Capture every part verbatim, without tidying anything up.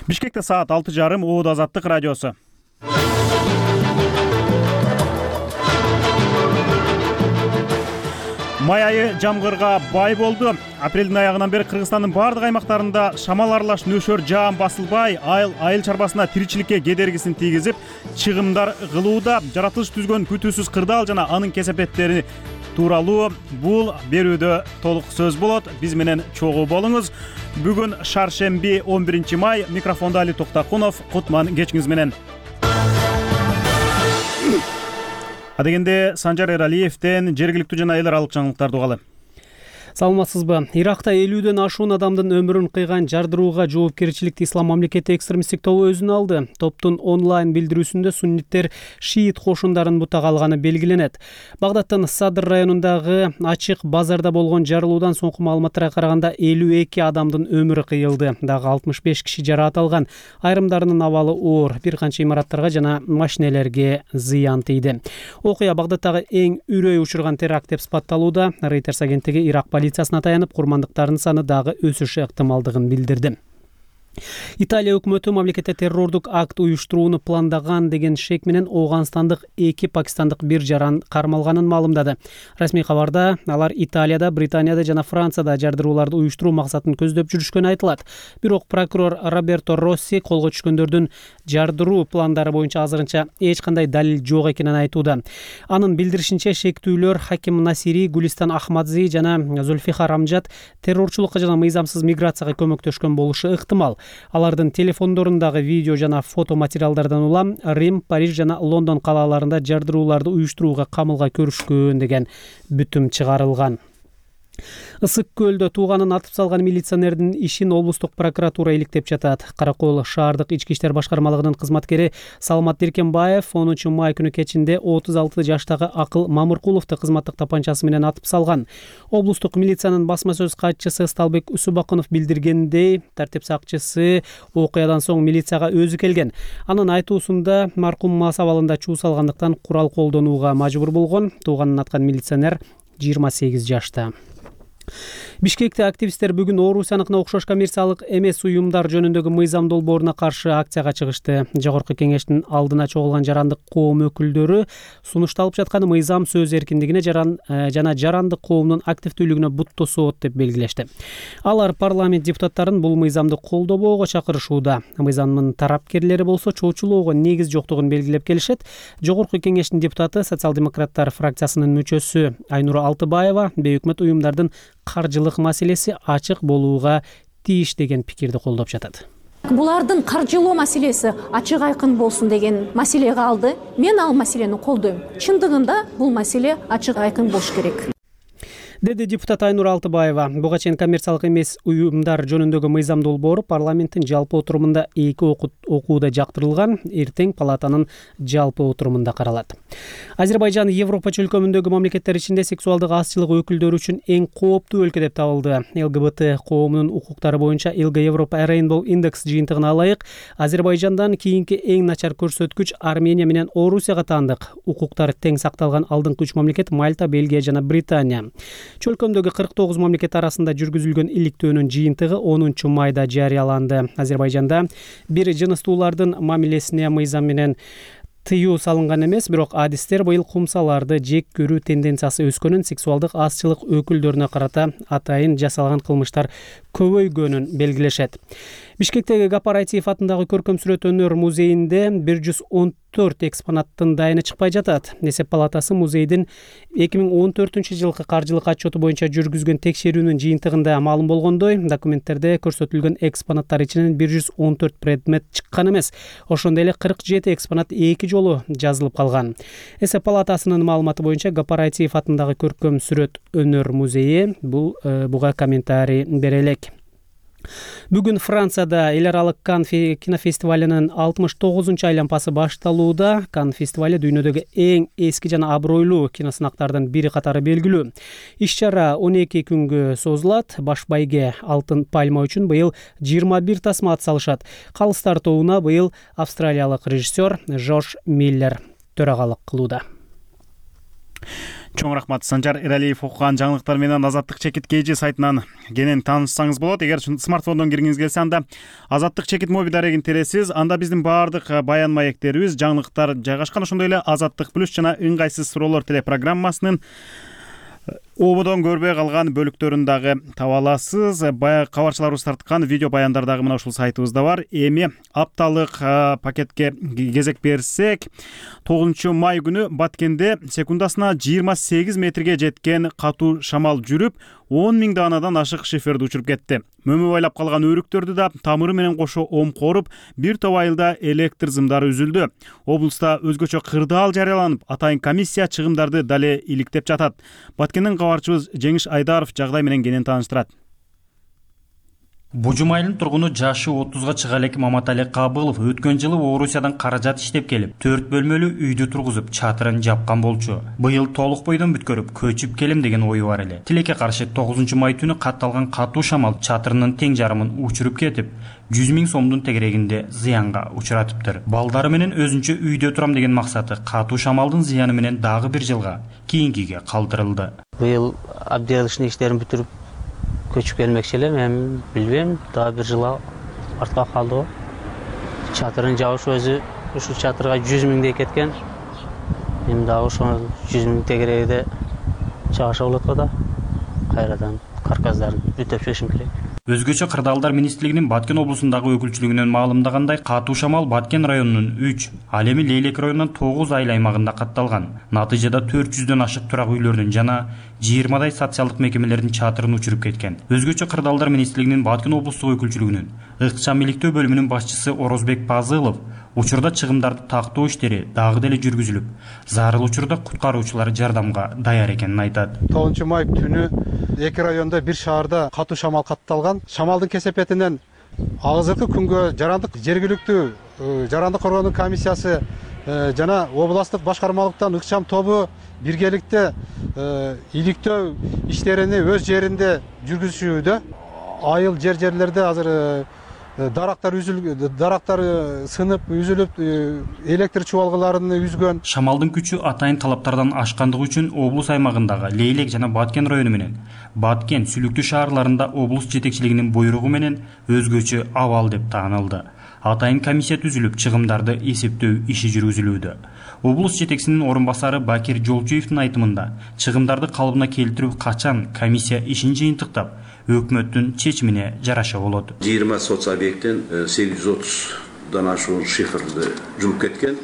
Бишкекте саат алты жарым. Оод Азаттык радиосу. Май айы жамгырга бай болду. Апрелдин аягынан бери Кыргызстандын бардык аймактарында шамал аралаш нөшөр жаам басылбай, айыл айыл чарбасына тиричиликке кедергисин тийгизип, чыгымдар кылууда. Жаратылыш түзгөн күтүүсүз кырдаал жана анын кесепеттери тууралуу бул берүүдө толук сөз болот. Биз менен чогуу болуңуз. Бүгүн шаршемби он биринчи май. Микрофондо Али Токтакунов. Кутман кечиңиз менен. Адегенде Санжар Эралиевден жергиликтүү жана эл аралык жаңылыктарды угалы. Саламатсызбы? Иракта элүүдөн ашуун адамдын өмүрүн кыйган жардырууга жоопкерчиликти Ислам мамлекети экстремисттик тобу өзүнө алды. Топтун онлайн билдирүүсүндө сунниттер шиит кошундарын бутага алганы белгиленет. Багдадтын Садр районундагы ачык базарда болгон жарылуудан соңку маалыматтарга караганда элүү эки адамдын өмүрү кыйылды. Дагы алтымыш беш киши жараат алган. Айрымдарынын абалы оор. Бир канча имараттарга жана машинелерге зыян тийди. Окуя Багдадтагы эң үрөй учурган теракт деп сыпатталууда. Reuters агенттиги Ирак полициясына таянып, курмандыктардын саны дагы өсүшү ыктымалдыгын билдирди. Италия өкмөтү мамлекетте террордук акт уюштурууну пландаган деген шек менен Ооганстандык эки пакистандык бир жаран кармалганын маалымдады. Расмий кабарда алар Италияда, Британияда жана Францияда жардырууларды уюштуруу максатын көздөп жүрүшкөнү айтылат. Бирок прокурор Роберто Росси колго түшкөндөрдүн жардыруу пландары боюнча азырынча эч кандай далил жок экенин айтууда. Анын билдиришинче, шектүүлөр Хаким Насири, Гулистан Ахмадзи жана Зульфихар Амжад террорчулукка жана мыйзамсыз миграцияга көмөктөшкөн болушу ыктымал. Алардын телефондорундагы видео жана фото материалдардан улам Рим, Париж жана Лондон калаларында жардырууларды уюштурууга камылга көрүшкөн деген бүтүм чыгарылган. Ысык көлдө тууганын атып салган милиционердин ишин облустук прокуратура иликтеп жатат. Каракол шаардык ички иштер башкармалыгынын кызматкери Салмат Диркенбаев онунчу май күнү кечинде отуз алты жаштагы Акыл Мамыркуловду кызматтык тапанчасы менен атып салган. Облустук милициянын басма сөз катчысы Сталбек Усубакунов билдиргендей, тартип сакчысы окуядан соң милицияга өзү келген. Анын айтуусунда маркум мас абалында чуу салгандыктан курал колдонууга мажбур болгон. Тууганын аткан милиционер жыйырма сегиз жашта. Бишкекте активисттер бүгүн Орусияныкына окшош коммерциялык эмес уюмдар жөнүндөгү мыйзам долбооруна каршы акцияга чыгышты. Жогорку кеңештин алдына чогулган жарандык коом өкүлдөрү сунушталып жаткан мыйзам сөз эркиндигине жаран жана жарандык коомдун активдүүлүгүнө бут тосот деп белгилешти. Алар парламент депутаттарын бул мыйзамды колдобоого чакырышууда. Мыйзамдын тарапкерлери болсо чоочулоого негиз жоктугун белгилеп келишет. Жогорку кеңештин депутаты социал-демократтар фракциясынын мүчөсү Айнура Алтыбаева бейөкмөт уюмдардын каржылык маселеси ачык болууга тийиш деген пикирди колдоп жатат. Булардын каржылоо маселеси ачык айкын болсун деген маселеге алды. Мен ал маселени колдойм. Чындыгында бул маселе ачык айкын болуш керек, деди депутат Айнура Алтыбаева. Буга чейин коммерциялык эмес уюмдар жөнүндөгү мыйзам долбоору парламенттин жалпы отурумунда эки окууда жактырылган, эртең палатанын жалпы отурумунда каралат. Азербайжан Европа чөлкөмүндөгү мамлекеттер ичинде сексуалдык азчылык өкүлдөрү үчүн эң кооптуу өлкө деп табылды. ЛГБТ коомунун укуктары боюнча эл джи Европа Rainbow Index жыйынтыгына ылайык Азербайжандан кийинки эң начар көрсөткүч Армения менен Орусияга таандык. Укуктар тең сакталган алдыңкы үч мамлекет Мальта, Бельгия жана Британия. Чөлкөмдөгү кырк тогуз мамлекет арасында жүргүзүлгөн иликтөөнүн жыйынтыгы онунчу майда жарыяланды. Азербайжанда бир жыныстуулардын мамилесине мыйзам менен тыюу салынган эмес, бирок адистер быйыл кумсаларды жек көрүү тенденциясы өскөнүн, сексуалдык азчылык өкүлдөрүнө карата атайын жасалган кылмыштар көбөйгөнүн белгилешет. Бишкектеги Гапар Айтиев атындагы көркөм сүрөт өнөр музейинде бир жүз он төрт экспонаттын дайыны чыкпай жатат. Эсеп палатасы музейдин эки миң он төртүнчү жылкы каржылык отчету боюнча жүргүзгөн текшерүүнүн жыйынтыгында маалым болгондой, документтерде көрсөтүлгөн экспонаттар ичинен бир жүз он төрт предмет чыккан эмес. Ошондой эле кырк жети экспонат эки жолу жазылып калган. Эсеп палатасынын маалыматы боюнча Гапар Айтиев атындагы көркөм сүрөт өнөр музейи бул буга комментарий бере элек. Бүгүн Францияда эл аралык Кан кинофестивалынын алтымыш тогузунчу айланпасы башталууда. Кан фестивали дүйнөдөгү эң эски жана абройлуу киносынактардын бири катары белгилүү. Иш-чара он эки күнгө созулат. Баш байге Алтын пальма үчүн быйыл жыйырма бир тасма ат салышат. Калыс тартууна быйыл австралиялык режиссер Жош Миллер төрагалык кылууда. Чоң рахмат. Санжар Эралиев окуган жаңылыктар менен Азаттык чекит кж сайтынан кенен таанышсаңыз болот. Эгер смартфондон киргиңиз келсе, анда Азаттык чекит моби дарегин тересиз. Анда биздин баардык баян маектерибиз, жаңылыктар жайгашкан. Ошондой эле Азаттык плюс жана ыңгайсыз суроолор телепрограммасынын ободон көрбөй калган бөлүктөрүн дагы таба аласыз. Баягы кабарчыларыбыз тарткан видео баяндар дагы мына ушул сайтыбызда бар. Эми апталык пакетке кезек берсек, тогузунчу май күнү Баткенде секундасына жыйырма сегиз метрге жеткен катуу шамал жүрүп, он миң даанадан ашык шиферди учуруп кетти. Мөмө байлап калган өрүктөрдү да тамыры менен кошо омкоруп, бир топ айылда электр зымдары үзүлдү. Облуста өзгөчө кырдаал жарыяланып, атайын комиссия чыгымдарды дале иликтеп жатат. Баткенден кабарчыбыз Жеңиш Айдаров жагдай менен кенен тааныштырат. Бужум айылынын тургуну жашы отузга чыга элек Маматали Кабылов өткөн жылы Орусиядан каражат иштеп келип, төрт бөлмөлүү үйдү тургузуп, чатырын жапкан болчу. Быйыл толук бойдон бүткөрүп, көчүп келем деген ою бар эле. Тилекке каршы тогузунчу май түнү катталган катуу шамал чатырынын тең жарымын учуруп кетип, жүз миң сомдун тегерегинде зыянга учуратыптыр. Балдары менен өзүнчө үйдө турам деген максаты катуу шамалдын зыяны менен дагы бир жылга кийинкиге калтырылды. Быйыл абдиялышын иштерин бүтүрүп көчүп келмекчи элем, эми билбейм, дагы бир жыл артка калды го. Чатырын жабыш өзү ушул чатырга жүз миңдей кеткен. Эми дагы ошол жүз миң тегерегиде чыгаша болот го да. Кайрадан карказдарын бүтөп чыгышым керек. Өзгөчө кырдаалдар министрлигинин Баткен облусундагы өкүлчүлүгүнөн маалымдагандай, катуу шамал Баткен районунун үч, ал эми Лейлек районунун тогуз айыл аймагында катталган. Натыйжада төрт жүздөн ашык турак үйлөрдүн жана жыйырмадай социалдык мекемелердин чатырын учуруп кеткен. Өзгөчө кырдаалдар министрлигинин Баткен облустук өкүлчүлүгүнүн ыкчам иликтөө бөлүмүнүн башчысы Орозбек Пазылов учурда чыгымдарды тактоо иштери дагы деле жүргүзүлүп, зарыл учурда куткаруучулар жардамга даяр экенин айтат. тогузунчу май түнү эки районда бир шаарда катуу шамал катталган. Шамалдын кесепетинен азыркы күнгө жарандык жергиликтүү жарандык коргоонун комиссиясы жана областтык башкармалыктан ыкчам тобу биргеликте иликтөө иштерини өз жеринде жүргүзүшүүдө. Айыл жер жерлерде азыр дарактар үзүлүп, дарактар сынып, үзүлүп, электр чубалгыларын үзгөн. Шамалдын күчү атайын талаптардан ашкандыгы үчүн облус аймагындагы Лейлек жана Баткен району менен Баткен, Сүлүктүү шаарларында облус жетекчилигинин буйругу менен өзгөчө абал деп таанылды. Атайын комиссия түзүлүп, чыгымдарды эсептөө иши жүргүзүлүүдө. Облус жетекчисинин орун басары Бакир Жолчуевдин айтымында, чыгымдарды калыбына келтирүү качан комиссия ишин жыйынтыктап, өкмөттүн чечимине жараша болот. жыйырма соц объекттен сегиз жүз отуздан ашуун шифрди жууп кеткен.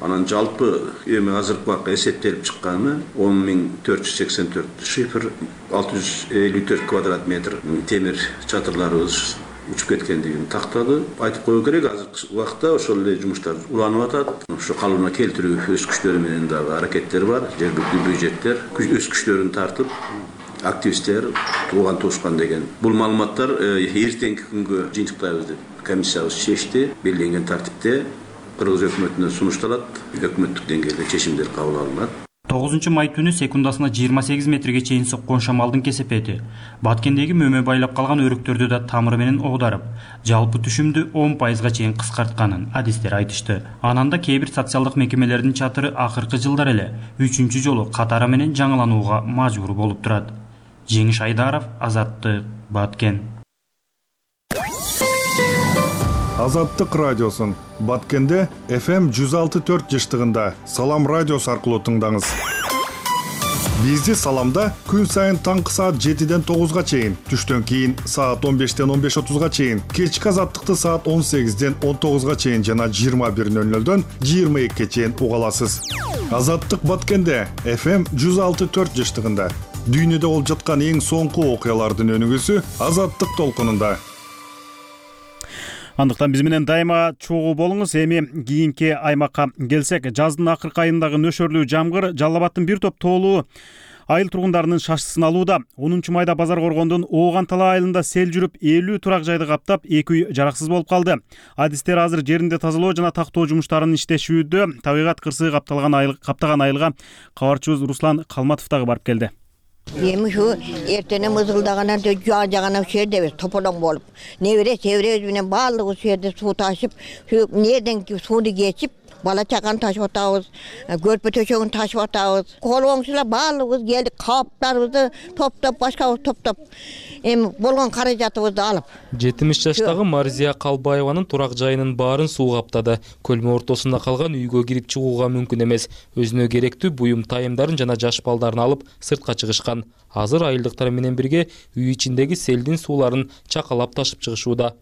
Анан жалпы эми азыркы убакта эсептелип чыкканы он миң төрт жүз сексен төрт шифр, алты жүз элүү төрт квадрат метр темир чатырларыбыз учуп кеткендигин тактады. Айтып коюу керек, азыркы убакта ошол эле жумуштар уланып атат. Ошо калыбына келтирүү өз күчтөрү менен дагы аракеттер бар. Жергиликтүү бюджеттер өз күчтөрүн тартып, активисттер, тууган туушкан деген. Бул маалыматтар эртеңки күнгө жыйынтыктайбыз деп комиссиябыз чечти. Белгиленген тартипте Кыргыз өкмөтүнө сунушталат, өкмөттүк деңгээлде чечимдер кабыл алынат. тогузунчу май түнү секундасына жыйырма сегиз метрге чейин соккон шамалдын кесепети Баткендеги мөмө байлап калган өрүктөрдү да тамыры менен оодарып, жалпы түшүмдү он пайызга чейин кыскартканын адистер айтышты. Анан да кээ бир социалдык мекемелердин чатыры акыркы жылдар эле үчүнчү жолу катары менен жаңыланууга мажбур болуп турат. Жеңиш Айдаров, Азаттык, Баткен. Азаттык радиосун Баткенде эф эм жүз алты төрт жыштыгында Салам радиосу аркылуу тыңдаңыз. Бизди Саламда күн сайын таңкы саат жетиден тогузга чейин, түштөн кийин саат он бештен он беш отузга чейин, кечки Азаттыкты саат он сегизден он тогузга чейин жана жыйырма бир нөл нөлдөн жыйырма экиге чейин уга аласыз. Азаттык Баткенде эф эм жүз алты төрт жыштыгында дүйнөдө болуп жаткан эң соңку окуялардын өнүгүүсү Азаттык толкунунда. Андыктан биз менен дайыма чогуу болуңуз. Эми кийинки аймакка келсек, жаздын акыркы айындагы нөшөрлүү жамгыр Жалал Абадтын бир топ тоолуу айыл тургундарынын шашысын алууда. онунчу майда Базар Коргондун Ооган-Тала айылында сел жүрүп, элүү турак жайды каптап, эки үй жараксыз болуп калды. Адистер азыр жеринде тазалоо жана тактоо жумуштарын иштешүүдө. Табигат кырсыгы капталган айыл каптаган айылга кабарчыбыз Руслан Калматов дагы барып келди. Эми ушу эртене мызгылдаганан жаа жагана ушул жерде тополоң болуп, небере чеберебиз менен баардыгы ушул жерде суу ташып, ушу эмнеден сууну кечип, бала чаганы ташып атабыз, көрпө төшөгүн ташып атабыз. Кол оңчулар баалыбыз келип, кааптарыбызды топтоп, башкабызды топтоп, эми болгон каражатыбызды алып. жетимиш жаштагы Марзия Калбаеванын турак жайынын баарын суу каптады. Көлмө ортосунда калган үйгө кирип чыгууга мүмкүн эмес. Өзүнө керектүү буюм тайымдарын жана жаш балдарын алып сыртка чыгышкан. Азыр айылдыктар менен бирге үй ичиндеги селдин сууларын чакалап ташып чыгышууда.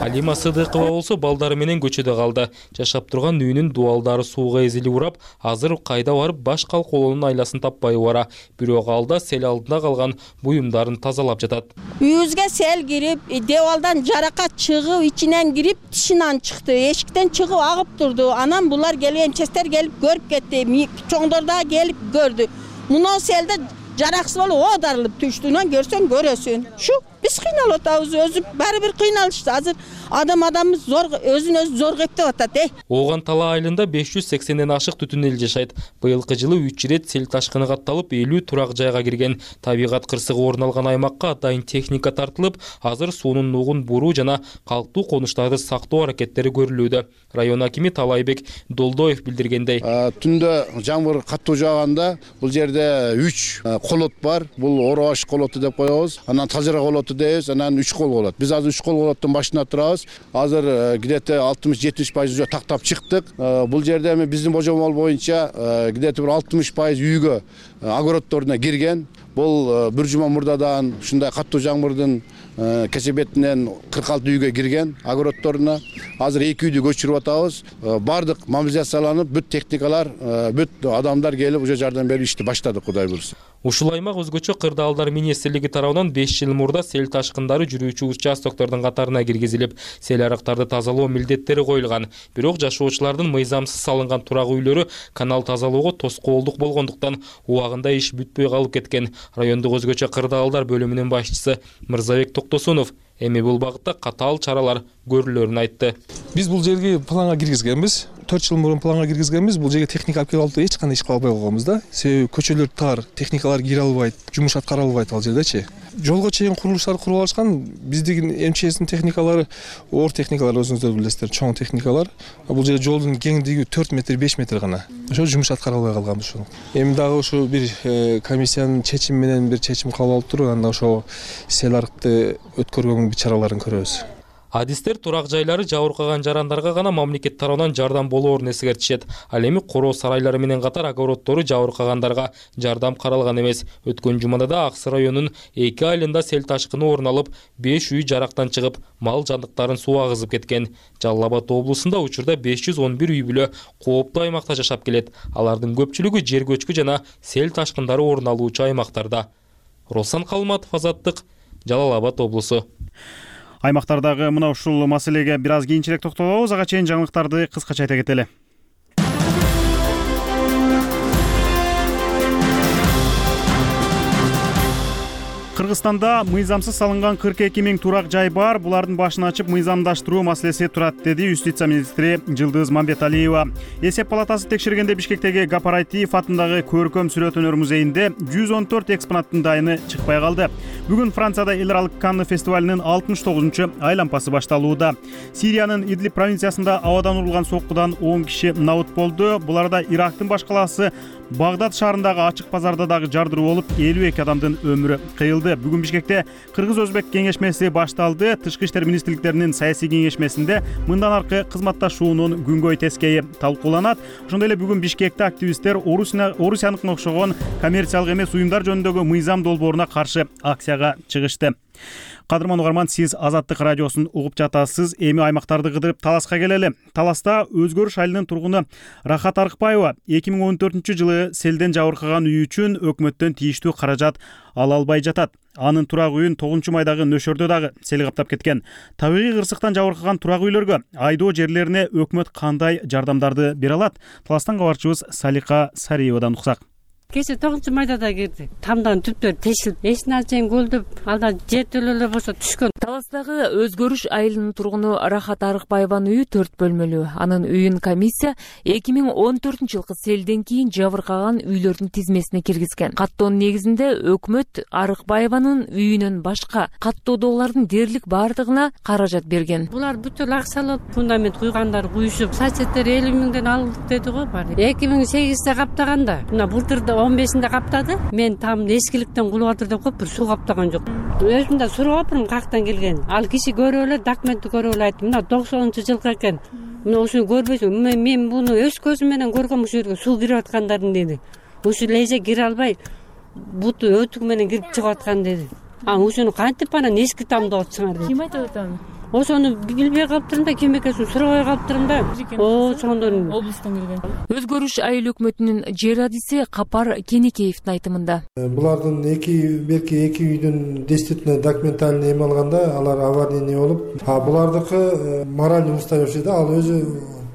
Алима Сыдыкова болсо балдары менен көчөдө калды. Жашап турган үйүнүн дуалдары сууга эзилип урап, азыр кайда барып баш калкоолонун айласын таппай бара. Бирок алда сел алдында калган буюмдарын тазалап жатат. Үйүбүзгө сел кирип, девалдан жаракат чыгып, ичинен кирип, тишинен чыкты. Эшиктен чыгып агып турду. Анан булар келип, эмчестер келип көрүп кетти. Чоңдор да келип көрдү. Муну селде жараксыз болуп оодарылып түштүнөн көрсөң көрөсүн. Шу биз кыйналып атабыз, өзү баары бир кыйналышты. Азыр адам адамыбыз зор, өзүн өзү зор кептеп атат, э. Ооган Тала айылында беш жүз сексенден ашык түтүн эл жашайт. Быйылкы жылы үч ирет сел ташкыны катталып, элүү турак жайга кирген. Табигат кырсыгы орун алган аймакка атайын техника тартылып, азыр суунун нугун буруу жана калктуу конуштарды сактоо аракеттери көрүлүүдө. Район акими Талайбек Долдоев билдиргендей, түндө жамгыр каттуу жааганда бул жерде үч колот бар. Бул Оробаш колоту деп коебуз. Анан Талжыра колоту дейбиз, анан үч кол болот. Биз азыр үч кол колоттун башында турабыз. Азыр где-то алтымыш жетимиш пайыз уже тактап чыктык. Бул жерде эми биздин божомол боюнча где-то бир алтымыш пайыз үйгө огороддоруна кирген. Бул бир жума мурдадан ушундай каттуу жамгырдын кесебетинен кырк алты үйгө кирген огороддоруна. Азыр эки үйдү көчүрүп атабыз. Бардык мобилизацияланып, бүт техникалар, бүт адамдар келип уже жардам берип ишти баштадык, Кудай буйрса. Ушул аймак өзгөчө кырдаалдар министрлиги тарабынан беш жыл мурда сел ташкындары жүрүүчү участоктордун катарына киргизилип, сел арыктарды тазалоо милдеттери коюлган. Бирок жашоочулардын мыйзамсыз салынган турак үйлөрү канал тазалоого тоскоолдук болгондуктан убагында иш бүтпөй калып кеткен. Райондук өзгөчө кырдаалдар бөлүмүнүн башчысы Мырзабек Токтосунов эми бул багытта катаал чаралар көрүлөрүн айтты. Биз бул жерге планга киргизгенбиз. төрт жыл мурун планга киргизгенбиз. Бул жерге техника алып келип алып эч кандай иш кыла албай калганбыз да. Себеби көчөлөр тар, техникалар кире албайт, жумуш аткара албайт ал жердечи. Жолго чейин курулуштар куруп алышкан. Биздин МЧСтин техникалары, оор техникалар өзүңүздөр билесиздер, чоң техникалар. Бул жерде жолдун кеңдиги төрт метр, беш метр гана. Ошо жумуш аткара албай калганбыз ошол. Эми дагы ушу бир комиссиянын чечими менен бир чечим кабыл алып туруп, анда ошо сел арыкты өткөргөнгө бир чараларын көрөбүз. Адистер турак жайлары жабыркаган жарандарга гана мамлекет тарабынан жардам болоорун эскертишет. Ал эми короо сарайлары менен катар огороддору жабыркагандарга жардам каралган эмес. Өткөн жумада да Аксы районунун эки айылында сел ташкыны орун алып, беш үй жарактан чыгып, мал жандыктарын суу агызып кеткен. Жалал Абад облусунда учурда беш жүз он бир үй бүлө кооптуу аймакта жашап келет. Алардын көпчүлүгү жер көчкү жана сел ташкындары орун алуучу аймактарда. Росан Калматов, Азаттык, Жалал Абад облусу. Аймактардагы мына ушул маселеге бир аз кийинчерээк токтолобуз. Ага чейин жаңылыктарды кыскача айта кетели. Кыргызстанда мыйзамсыз салынган кырк эки миң турак жай бар. Булардын башын ачып мыйзамдаштыруу маселеси турат, деди юстиция министри Жылдыз Мамбеталиева. Эсеп палатасы текшергенде Бишкектеги Гапарайтиев атындагы көркөм сүрөт өнөр музейинде жүз он төрт экспонаттын дайыны чыкпай калды. Бүгүн Францияда эл аралык Канны фестивалынын алтымыш тогузунчу айлампасы башталууда. Сириянын Идлиб провинциясында абадан урулган соккудан он киши набыт болду. Буларда Ирактын баш калаасы Багдад шаарындагы ачык базарда дагы жардыруу болуп, элүү эки адамдын өмүрү кыйылды. Бүгүн Бишкекте Кыргыз-Өзбек кеңешмеси башталды. Тышкы иштер министрликтеринин саясий кеңешмесинде мындан аркы кызматташуунун күнгөй тескейи талкууланат. Ошондой эле бүгүн Бишкекте активисттер Орусияныкына окшогон коммерциялык эмес уюмдар жөнүндөгү мыйзам долбооруна каршы акцияга чыгышты. Кадырман угарман, сиз Азаттык радиосун угуп жатасыз. Эми аймактарды кыдырып Таласка келели. Таласта Өзгөрүш айылынын тургуну Рахат Арыкбаева эки миң он төртүнчү жылы селден жабыркаган үй үчүн өкмөттөн тийиштүү каражат ала албай жатат. Анын турак үйүн тогузунчу майдагы нөшөрдө дагы сел каптап кеткен. Табигый кырсыктан жабыркаган турак үйлөргө, айдоо жерлерине өкмөт кандай жардамдарды бере алат? Таластан кабарчыбыз Салика Сариевадан уксак. кечээ тогузунчу майда да кирди. Тамдын түптөрү тешилип, эшина чейин көлдөп, алда жертөлөлөр болсо түшкөн. Таластагы Өзгөрүш айылынын тургуну Рахат Арыкбаеванын үйү төрт бөлмөлүү. Анын үйүн комиссия эки миң он төртүнчү жылкы селден кийин жабыркаган үйлөрдүн тизмесине киргизген. Каттоонун негизинде өкмөт Арыкбаеванын үйүнөн башка каттоодогулардын дээрлик баардыгына каражат берген. Булар бүтүн акчалап фундамент куйгандар куйшуп, сачеттер элүү миңден алдык деди го баары. эки миң сегизде каптаганда, мына былтырда он бешинде каптады. Мен там эскиликтен кулуп атыр деп коюп бир суу каптаган жок. Өзүм да сурап атырмын кактан келген. Ал киши көрүп эле, документти көрүп эле айтты. Мына токсонунчу жылкы экен. Мына ушуну көрбөйсүң. Мен буну өз көзүм менен көргөм, ушул жерге суу кирип аткандарын деди. Ушул леже кире албай, буту өтүк менен кирип чыгып аткан деди. А ушуну кантип анан эски тамдап атсыңар деди. Ким айтып атат аны? Ошону билбей калыптырмын да, ким экенин сурабай калыптырмын да. О, сондон облустан келген. Өзгөрүш айыл өкмөтүнүн жер адиси Капар Кенекеевдин айтымында. Булардын эки берки эки үйдүн действительно документальный эме алганда алар аварийный болуп, а булардыкы моральный устойчивый да, ал өзү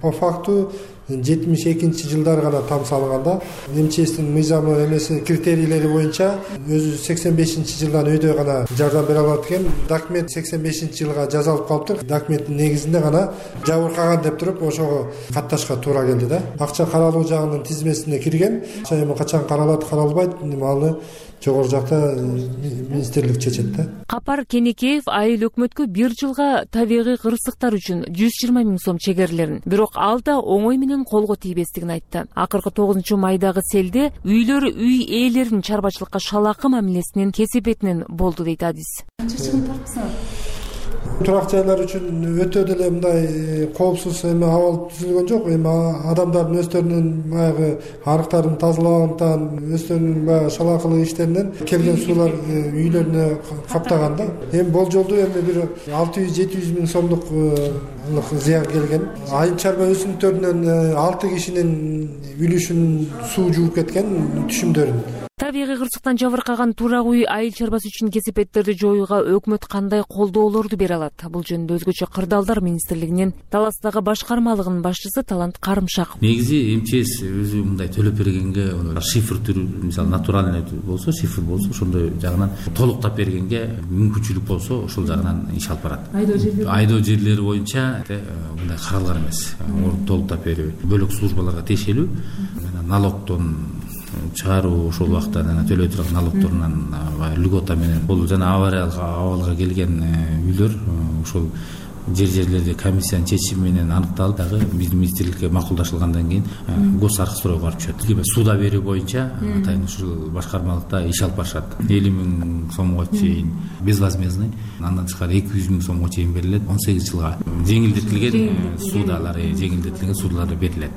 по факту жетимиш экинчи жылдары гана там салынган да. МЧСтин мыйзамы эмеси критерийлери боюнча өзү сексен бешинчи жылдан өйдө гана жардам бере алат экен. Документ сексен бешинчи жылга жазалып калыптыр. Документтин негизинде гана жабыркаган деп туруп ошого катташка туура келди да. Акча каралуу жагынын тизмесине кирген. Акча эми качан каралат, каралбайт, аны жогору жакта министрлик чечет да. Капар Кенекеев айыл өкмөткө бир жылга табигый кырсыктар үчүн жүз жыйырма миң сом чегерлерин, бирок ал да оңой менен колго тийбестигин айтты. Акыркы тогузунчу майдагы селде үйлөр үй ээлеринин чарбачылыкка шалакы мамилесинин кесепетинен болду дейт адис. Канча чыгым тартсыңар? Турак жайлар үчүн өтө деле мындай коопсуз эме абал түзүлгөн жок. Эми адамдардын өздөрүнүн баягы арыктарын тазалагандыктан, өздөрүнүн баягы шалакылык иштеринен келген суулар үйлөрүнө каптаган да. Эми болжолдуу эми бир алты жүз жети жүз миң сомдук зыян келген. Айыл чарба өсүмдүктөрүнөн алты кишинин үлүшүн суу жууп кеткен түшүмдөрүн. Табигый кырсыктан жабыркаган турак үй айыл чарбасы үчүн кесепеттерди жоюуга өкмөт кандай колдоолорду бере алат? Бул жөнүндө Өзгөчө кырдаалдар министрлигинин Таластагы башкармалыгынын башчысы Талант Карымшаков. Негизи МЧС өзү мындай төлөп бергенге, шифр түрү, мисалы натуральный болсо, шифр болсо, ошондой жагынан толуктап бергенге мүмкүнчүлүк болсо, ошол жагынан иш алып барат. Айдоо жерлери боюнча мындай каралган эмес. Толуктап берүү, бөлөк службаларга тиешелүү, налогдон чыгаруу, ошол убакта төлөй турган налогторунан льгота менен бул жана авариялык абалга келген үйлөр ошол жер жерлерде комиссиянын чечими менен аныкталып, дагы биздин министрликке макулдашылгандан кийин гос архстройго барып түшөт. Суда берүү боюнча атайын ушул башкармалыкта иш алып барышат. элүү миң сомго чейин безвозмездный, андан тышкары эки жүз миң сомго чейин берилет. он сегиз жылга жеңилдетилген судалар, жеңилдетилген судалар берилет.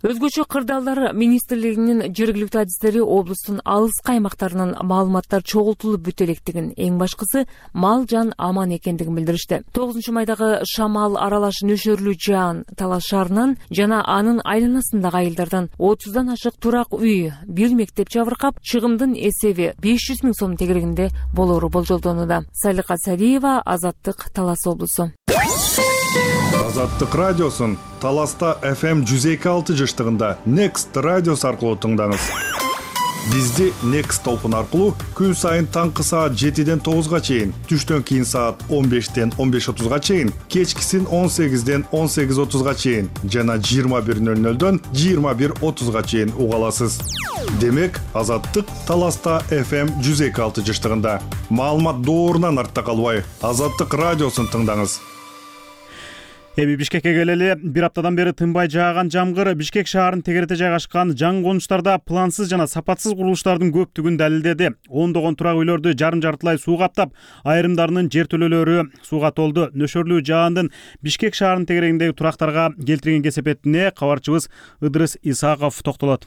Өзгөчө кырдаалдар министрлигинин жергиликтүү адистери облустун алыскы аймактарынан маалыматтар чогултулуп бүтө электигин, эң башкысы мал жан аман экендигин билдиришти. тогузунчу майдагы шамал аралаш нөшөрлүү жаан Талас шаарынан жана анын айланасындагы айылдардан отуздан ашык турак үй, бир мектеп жабыркап, чыгымдын эсеби беш жүз миң сом тегерегинде болоору болжолдонууда. Салика Садиева, Азаттык, Талас облусу. Азаттык радиосун Таласта эф эм жүз эки алты жыштыгында Next радиосу аркылуу тыңдаңыз. Бизди Next толкун аркылуу күн сайын таңкы саат жетиден тогузга чейин, түштөн кийин саат он бештен он беш отузга чейин, кечкисин он сегизден он сегиз отузга чейин жана жыйырма бир нөл нөлдөн жыйырма бир отузга чейин уга аласыз. Демек, Азаттык Таласта эф эм жүз эки алты жыштыгында. Маалымат доорунан артта калбай, Азаттык радиосун тыңдаңыз. Эми Бишкекке келели. Бир аптадан бери тынбай жааган жамгыр Бишкек шаарынын тегерете жайгашкан жаңы конуштарда плансыз жана сапатсыз курулуштардын көптүгүн далилдеди. Ондогон турак үйлөрдү жарым жартылай суу каптап, айрымдарынын жертөлөлөрү сууга толду. Нөшөрлүү жаандын Бишкек шаарынын тегерегиндеги турактарга келтирген кесепетине кабарчыбыз Ыдырыс Исаков токтолот.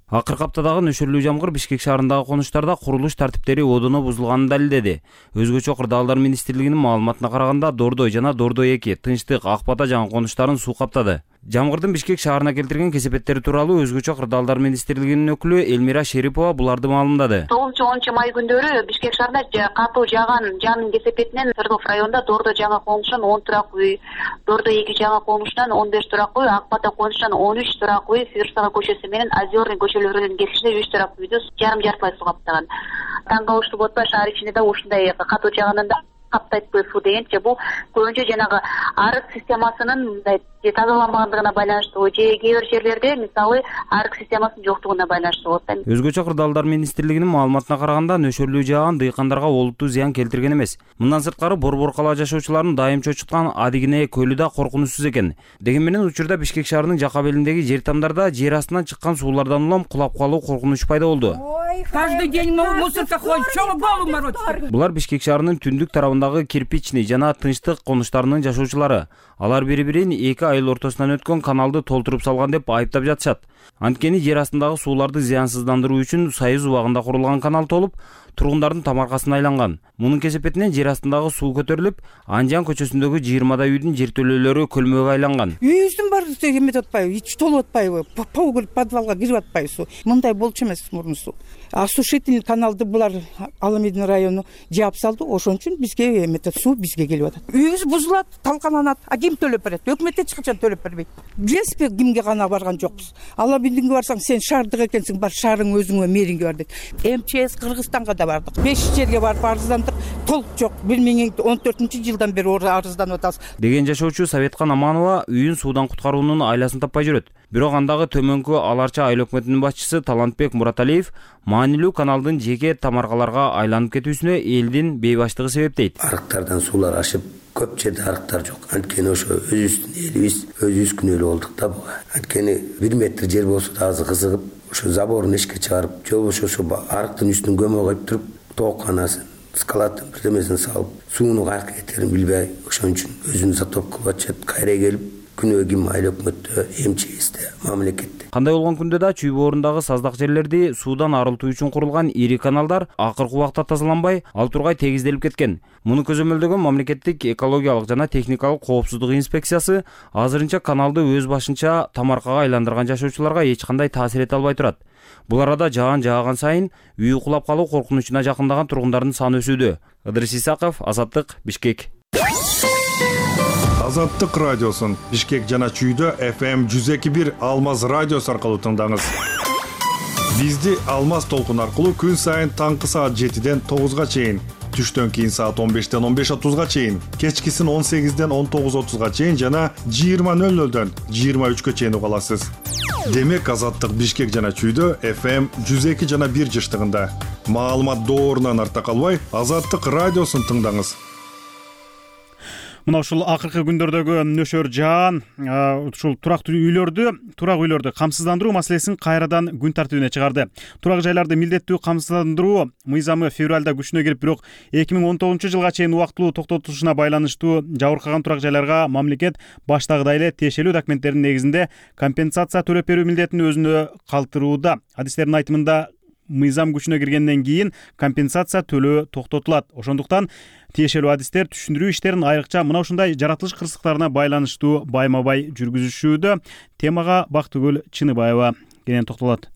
Акыркы аптадагы нөшөрлүү жамгыр Бишкек шаарындагы конуштарда курулуш тартиптери одоно бузулганын далилдеди. Өзгөчө кырдаалдар министрлигинин маалыматына караганда Дордой жана Дордой эки, Тынчтык, Ак Бата жаңы конуштарын суу каптады. Жамгырдын Бишкек шаарына келтирген кесепеттери тууралуу өзгөчө кырдаалдар министрлигинин өкүлү Элмира Шерипова буларды маалымдады. тогузунчу онунчу май күндөрү Бишкек шаарында катуу жааган жаандын кесепетинен Свердлов районунда Дордо жаңы конушунан он турак үй, Дордо эки жаңы конушунан он беш турак үй, Ак Бата конушунан он үч турак үй, Свердлова көчөсү менен Озерный көчөлөрүнүн кесишинде үч турак үйдү жарым жартылай суу каптаган. Таң калыштуу болуп атпайбы, шаар ичинде да ушундай катуу жааганында каптайтпы суу дегенчи, бул көбүнчө жанагы арык системасынын мындай тазаланбагандыгына байланыштуу же кээ бир жерлерде мисалы арык системасынын жоктугуна байланыштуу болот. Өзгөчө кырдаалдар министрлигинин маалыматына караганда нөшөрлүү жааган дыйкандарга олуттуу зыян келтирген эмес. Мындан сырткары Борбор кала жашоочуларын дайым чочуткан Адигине көлү да коркунучсуз экен. Дегени менен учурда Бишкек шаарынын жака белиндеги жер тамдарда жер астынан чыккан суулардан улам кулап калуу коркунучу пайда болду. Каждый день мусорка ходит, чего голову морочит? Булар Бишкек шаарынын түндүк тарабындагы кирпичный жана тынчтык конуштарынын жашоочулары. Алар бири-бирин эки айыл ортосунан өткөн каналды толтуруп салган деп айыптап жатышат. Анткени жер астындагы сууларды зыянсыздандыруу үчүн Союз убагында курулган канал толуп, тургундардын тамаркасына айланган. Мунун кесепетинен жер астындагы суу көтөрүлүп, Анжан көчөсүндөгү жыйырмадай үйдүн жертөлөлөрү көлмөгө айланган. Үйүбүздүн баары эмет атпайбы, ич толуп атпайбы, пау келип подвалга кирип атпайбы суу. Мындай болчу эмес мурун суу. Осушительный каналды булар Аламедин району жаап салды, ошон үчүн бизге эмет суу бизге келип атат. Үйүбүз бузулат, талкаланат, а ким төлөп берет? Өкмөт эч качан төлөп бербейт. Билесизби, кимге гана барган жокпуз. Аламединге барсаң, сен шаардык экенсиң, бар шаарың өзүңө мэринге бар дейт. эм че эс Кыргызстанга да бардык. беш жерге барып арыздандык, толук жок. бир миң он төртүнчү жылдан бери арызданып атабыз. Деген жашоочу Советкан Аманова үйүн суудан куткаруунун айласын таппай жүрөт. Бирок андагы төмөнкү Аларча айыл өкмөтүнүн башчысы Талантбек Мураталиев маанилүү каналдын жеке тамаркаларга айланып кетүүсүнө элдин бейбаштыгы себеп дейт. Арыктардан суулар ашып, көп жерде арыктар жок. Анткени ошо өзүбүздүн элибиз, өзүбүз күнөөлүү болдук да буга. Анткени бир метр жер болсо да азыр кызыгып, ошо заборун эшикке чыгарып, же болбосо ошо арыктын үстүн көмө коюп туруп, тооканасын, скалатын бирдемесин салып, сууну каяка кетерин билбей, ошон үчүн өзүн затоп кылып атышат. Кайра келип, күнөө ким айыл өкмөттө, эм че эсте, мамлекетте. Кандай болгон күндө да чүй боорундагы саздак жерлерди суудан арылтуу үчүн курулган ири каналдар акыркы убакта тазаланбай, ал тургай тегизделип кеткен. Муну көзөмөлдөгөн мамлекеттик экологиялык жана техникалык коопсуздук инспекциясы азырынча каналды өз башынча тамаркага айландырган жашоочуларга эч кандай таасир эте албай турат. Бул арада жаан жааган сайын үйү кулап калуу коркунучуна жакындаган тургундардын саны өсүүдө. Ыдырыс Исаков, Азаттык, Бишкек. Азаттык радиосун Бишкек жана Чүйдө эф эм жүз эки бир Алмаз радиосу аркылуу тыңдаңыз. Бизди Алмаз толкун аркылуу күн сайын таңкы саат жетиден тогузга чейин, түштөн кийин саат он бештен он беш отузга чейин, кечкисин он сегизден он тогуз отузга чейин жана жыйырма нөл нөлдөн жыйырма үчкө чейин уга аласыз. Демек Азаттык Бишкек жана Чүйдө эф эм жүз эки жана бир жыштыгында. Маалымат доорунан арта калбай, Азаттык радиосун тыңдаңыз. Мына ушул акыркы күндөрдөгү нөшөр жаан ушул турактуу үйлөрдү, турак үйлөрдү камсыздандыруу маселесин кайрадан күн тартибине чыгарды. Турак жайларды милдеттүү камсыздандыруу мыйзамы февралда күчүнө кирип, бирок эки миң он тогузунчу жылга чейин убактылуу токтотулушуна байланыштуу жабыркаган турак жайларга мамлекет баштагыдай эле тиешелүү документтердин негизинде компенсация төлөп берүү милдетин өзүнө калтырууда. Адистердин айтымында мыйзам күчүнө киргенден кийин компенсация төлөө токтотулат. Ошондуктан тиешелүү адистер түшүндүрүү иштерин айрыкча мына ушундай жаратылыш кырсыктарына байланыштуу байма-бай жүргүзүшүүдө. Темага Бактыгүл Чыныбаева кенен токтолот.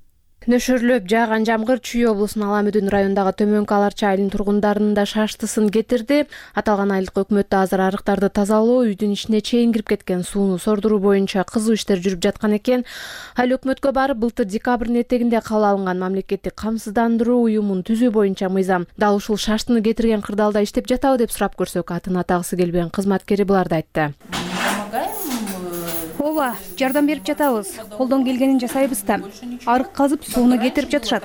Нөшөрлөп жааган жамгыр Чүй облусунун Аламүдүн районундагы Төмөнкү Аларча айылынын тургундарынын да шаштысын кетирди. Аталган айылдык өкмөттө азыр арыктарды тазалоо, үйдүн ичине чейин кирип кеткен сууну сордуруу боюнча кызуу иштер жүрүп жаткан экен. Айыл өкмөткө барып былтыр декабрдын этегинде кабыл алынган мамлекеттик камсыздандыруу уюмун түзүү боюнча мыйзам дал ушул шаштыны кетирген кырдаалда иштеп жатабы деп сурап көрсөк, атын атагысы келбеген кызматкери буларды айтты. Ооба, жардам берип жатабыз. Колдон келгенин жасайбыз да. Арык казып сууну кетирип жатышат.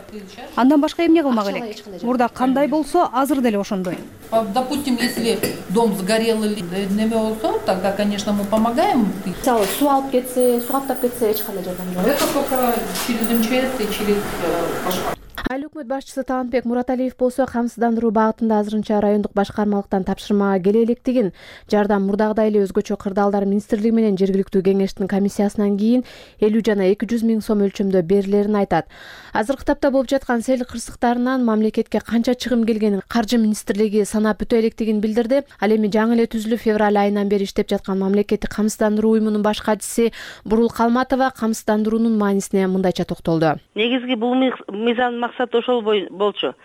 Андан башка эмне кылмак элек? Мурда кандай болсо, азыр деле ошондой. Допустим, если дом сгорел или неме болсо, тогда, конечно, мы помогаем. Мисалы, суу алып кетсе, суу каптап кетсе, эч кандай жардам жок. Это только через эм че эс и через башка. Айыл өкмөт башчысы Таанбек Мураталиев болсо камсыздандыруу багытында азырынча райондук башкармалыктан тапшырмага келе электигин, жардам мурдагыдай эле өзгөчө кырдаалдар министрлиги менен жергиликтүү кеңештин комиссиясынан кийин элүү жана эки жүз миң сом өлчөмдө берилерин айтат. Азыркы тапта болуп жаткан сел кырсыктарынан мамлекетке канча чыгым келгенин Каржы министрлиги санап бүтө электигин билдирди. Ал эми жаңы эле түзүлүп февраль айынан бери иштеп жаткан мамлекеттик камсыздандыруу уюмунун баш катчысы Бурул Калматова камсыздандыруунун маанисине мындайча токтолду. Негизги бул мыйзамдын максаты ошол болчу.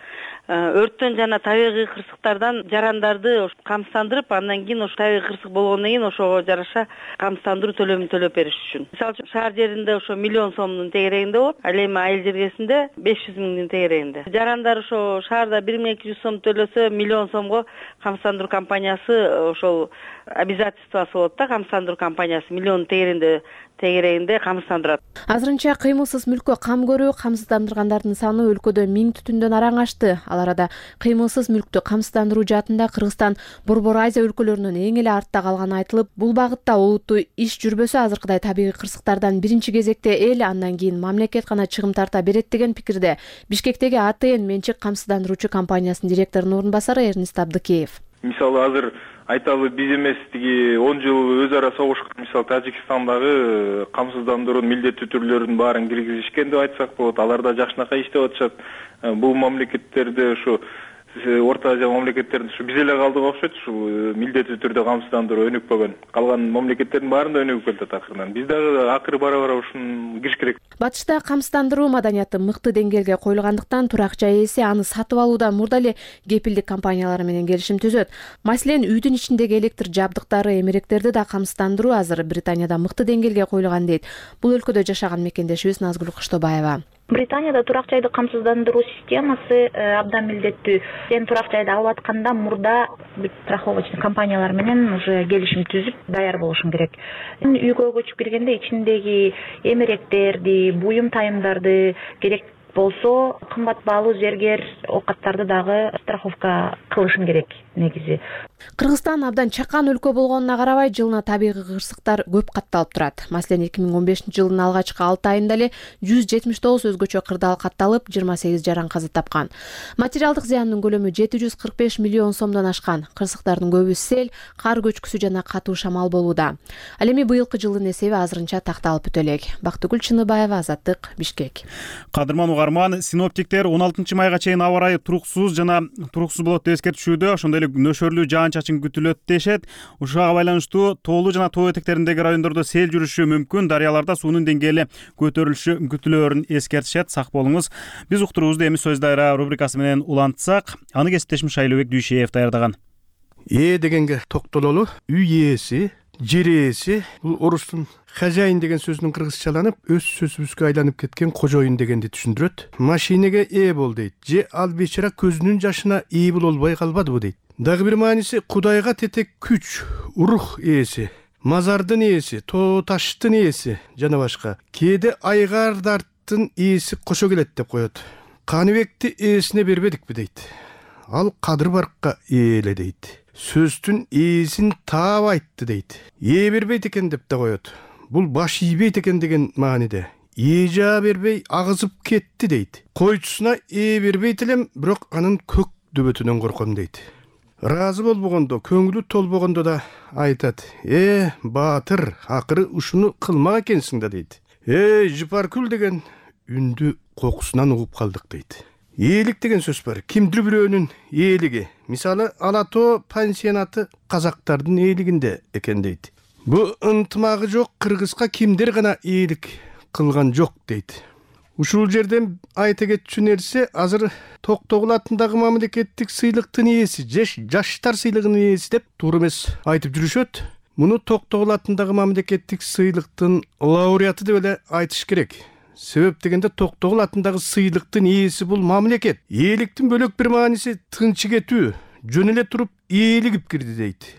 Өрттөн жана табигый кырсыктардан жарандарды камсыздандырып, андан кийин ошо табигый кырсык болгондон кийин ошого жараша камсыздандыруу төлөмүн төлөп бериш үчүн. Мисалы үчүн шаар жеринде ошо миллион сомдун тегерегинде болот, ал эми айыл жергесинде беш жүз миңдин тегерегинде. Жарандар ошо шаарда бир миң эки жүз сом төлөсө, миллион сомго камсыздандыруу компаниясы ошол обязательствосы болот да, камсыздандыруу компаниясы миллион тегерегинде тегерегинде камсыздандырат. Азырынча кыймылсыз мүлккө кам көрүү камсыздандыргандардын саны өлкөдө миң түтүндөн араң ашты. Ал арада кыймылсыз мүлктү камсыздандыруу жаатында Кыргызстан Борбор Азия өлкөлөрүнөн эң эле артта калганы айтылып, бул багытта олуттуу иш жүрбөсө азыркыдай табигый кырсыктардан биринчи кезекте эл, андан кийин мамлекет гана чыгым тарта берет деген пикирде Бишкектеги А Т Н менчик камсыздандыруучу компаниясынын директорунун орун басары Эрнест Абдыкеев. Мисалы азыр айталы биз эмес тиги он жыл өз ара согушкан мисалы Тажикстандагы камсыздандыруунун милдеттүү түрлөрүнүн баарын киргизишкен деп айтсак болот. Алар да жакшынакай иштеп атышат. Бул мамлекеттерде ушу Орто Азия мамлекеттеринде ушу биз эле калдык окшойт, ушул милдеттүү түрдө камсыздандыруу өнүкпөгөн. Калган мамлекеттердин баарында өнүгүп келатат акырынан. Биз дагы акыры бара-бара ушуну кириш керек. Батышта камсыздандыруу маданияты мыкты деңгээлге коюлгандыктан турак жай ээси аны сатып алууда мурда эле кепилдик компаниялары менен келишим түзөт. Маселен, үйдүн ичиндеги электр жабдыктары, эмеректерди да камсыздандыруу азыр Британияда мыкты деңгээлге коюлган дейт. Бул өлкөдө жашаган мекендешибиз Назгүл Кыштобаева. Британияда турак жайды камсыздандыруу системасы абдан милдеттүү. Сен турак жайды алып атканда мурда страховочный компаниялар менен уже келишим түзүп даяр болушуң керек. Үйгө көчүп киргенде ичиндеги эмеректерди, буюм тайымдарды, керек болсо кымбат баалуу зергер оокаттарды дагы страховка кылышың керек негизи. Кыргызстан абдан чакан өлкө болгонуна карабай, жылына табигый кырсыктар көп катталып турат. Маселен, эки миң он бешинчи жылдын алгачкы алты айында эле жүз жетимиш тогуз өзгөчө кырдаал катталып, жыйырма сегиз жаран каза тапкан. Материалдык зыяндын көлөмү жети жүз кырк беш миллион сомдон ашкан. Кырсыктардын көбү сел, кар көчкүсү жана катуу шамал болууда. Ал эми быйылкы жылдын эсеби азырынча такталып бүтө элек. Бактыгүл Чыныбаева, Азаттык, Бишкек. Кадырман угарман, синоптиктер он алтынчы майга чейин аба ырайы туруксуз жана туруксуз болот деп эскертишүүдө, ошондой эле нөшөрлүү жаан-чачын күтүлөт дешет. Ушуга байланыштуу тоолуу жана тоо этектериндеги райондордо сел жүрүшү мүмкүн, дарыяларда суунун деңгээли көтөрүлүшү күтүлөөрүн эскертишет. Сак болуңуз. Биз уктуруубузду эми сөз дайра рубрикасы менен улантсак, аны кесиптешим Шайлообек Дүйшеев даярдаган. Ээ дегенге токтололу. Үй ээси, жер ээси, бул орустун хозяин деген сөзүнүн кыргызчаланып, өз сөзүбүзгө айланып кеткен кожоюн дегенди түшүндүрөт. Машинеге ээ бол дейт. Же ал бечара көзүнүн жашына ээ болбой калбадыбы дейт. Дагы бир мааниси Кудайга тетек күч, рух ээси, мазардын ээси, тоо таштын ээси жана башка. Кээде айгардардын ээси кошо келет деп коет. Каныбекти ээсине бербедикпи дейт. Ал Кадыр Баркка ээле дейт. Сөздүн ээсин таап айтты дейт. Ээ бербейт экен деп да коет. Бул баш ийбейт экен деген мааниде. Ээ жаа бербей агызып кетти дейт. Койчусуна ээ бербейт элем, бирок анын көк дөбөтүнөн корком дейт. Разы болбогондо, көңүлү толбогондо да айтат. Э, баатыр, акыры ушуну кылмак экенсиң да дейт. Э, Жыпаркүл деген үндү кокусунан угуп калдык дейт. Ээлик деген сөз бар. Кимдир бирөөнүн ээлиги. Мисалы, Ала Тоо пансионаты казактардын ээлигинде экен дейт. Бу ынтымагы жок кыргызга кимдир гана ээлик кылган жок дейт. Ушул жерден айта кетчү нерсе, азыр Токтогул атындагы мамлекеттик сыйлыктын ээси, жаштар сыйлыгынын ээси деп туура эмес айтып жүрүшөт. Муну Токтогул атындагы мамлекеттик сыйлыктын лауреаты деп эле айтыш керек. Себеп дегенде Токтогул атындагы сыйлыктын ээси бул мамлекет. Ээликтин бөлөк бир мааниси тынчы кетүү, жөн эле туруп ээлигип кирди дейт.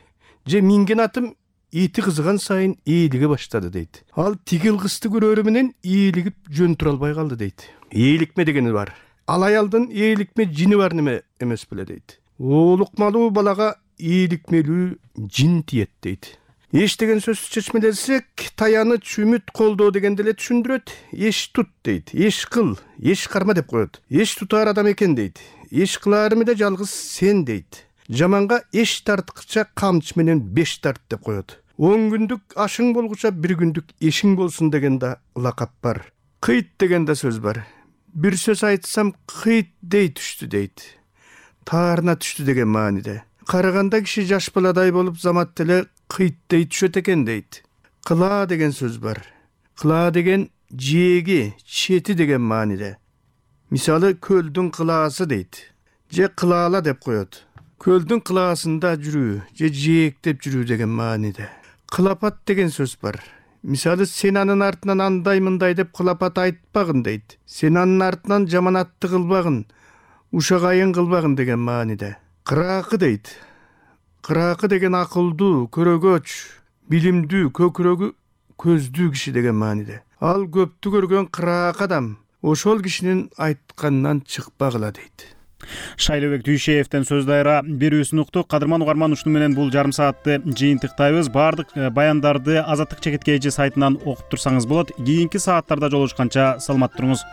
Же минген атым ити кызыган сайын ээлиге баштады дейт. Ал тигил кызды көрөрү менен ээлигип жөн тура албай калды дейт. Ээликме дегени бар. Ал аялдын ээликме жини бар неме эмес беле дейт. Оолукмалуу балага ээликмелүү жин тиет дейт. эш деген сөздү чечмелесек, таяныч, үмүт, колдоо дегенди эле түшүндүрөт. Эш тут дейт, эш кыл, эш карма деп коет. Эш тутар адам экен дейт. Эш кыларымы да жалгыз сен дейт. Жаманга эш тарткыча камчы менен беш тарт деп коет. он күндүк ашың болгуча бир күндүк эшиң болсун деген да лакап бар. Кыйт деген да сөз бар. Бир сөз айтсам кыйт дей түштү дейт. Таарына түштү деген мааниде. Караганда киши жаш баладай болуп замат деле кыйт дей түшөт экен дейт. Кыла деген сөз бар. Кыла деген жээги, чети деген мааниде. Мисалы көлдүн кылаасы дейт. Же кылаала деп коет. Көлдүн кылаасында жүрүү, же жээктеп жүрүү деген мааниде. Кылапат деген сөз бар. Мисалы сен анын артынан андай мындай деп кылапат айтпагын дейт. Сен анын артынан жаманатты кылбагын, ушагайын кылбагын деген мааниде. Кыраакы дейт. Кыраакы деген акылдуу, көрөгөч, билимдүү, көкүрөгү көздүү киши деген мааниде. Ал көптү көргөн кыраак адам ошол кишинин айтканынан чыкпагыла дейт. Шайлообек Дүйшеевден сөз дайра берүүсүн уктук. Кадырман угарман, ушуну менен бул жарым саатты жыйынтыктайбыз. Баардык баяндарды Азаттык чекиткейчи сайтынан окуп турсаңыз болот. Кийинки сааттарда жолугушканча саламат туруңуз.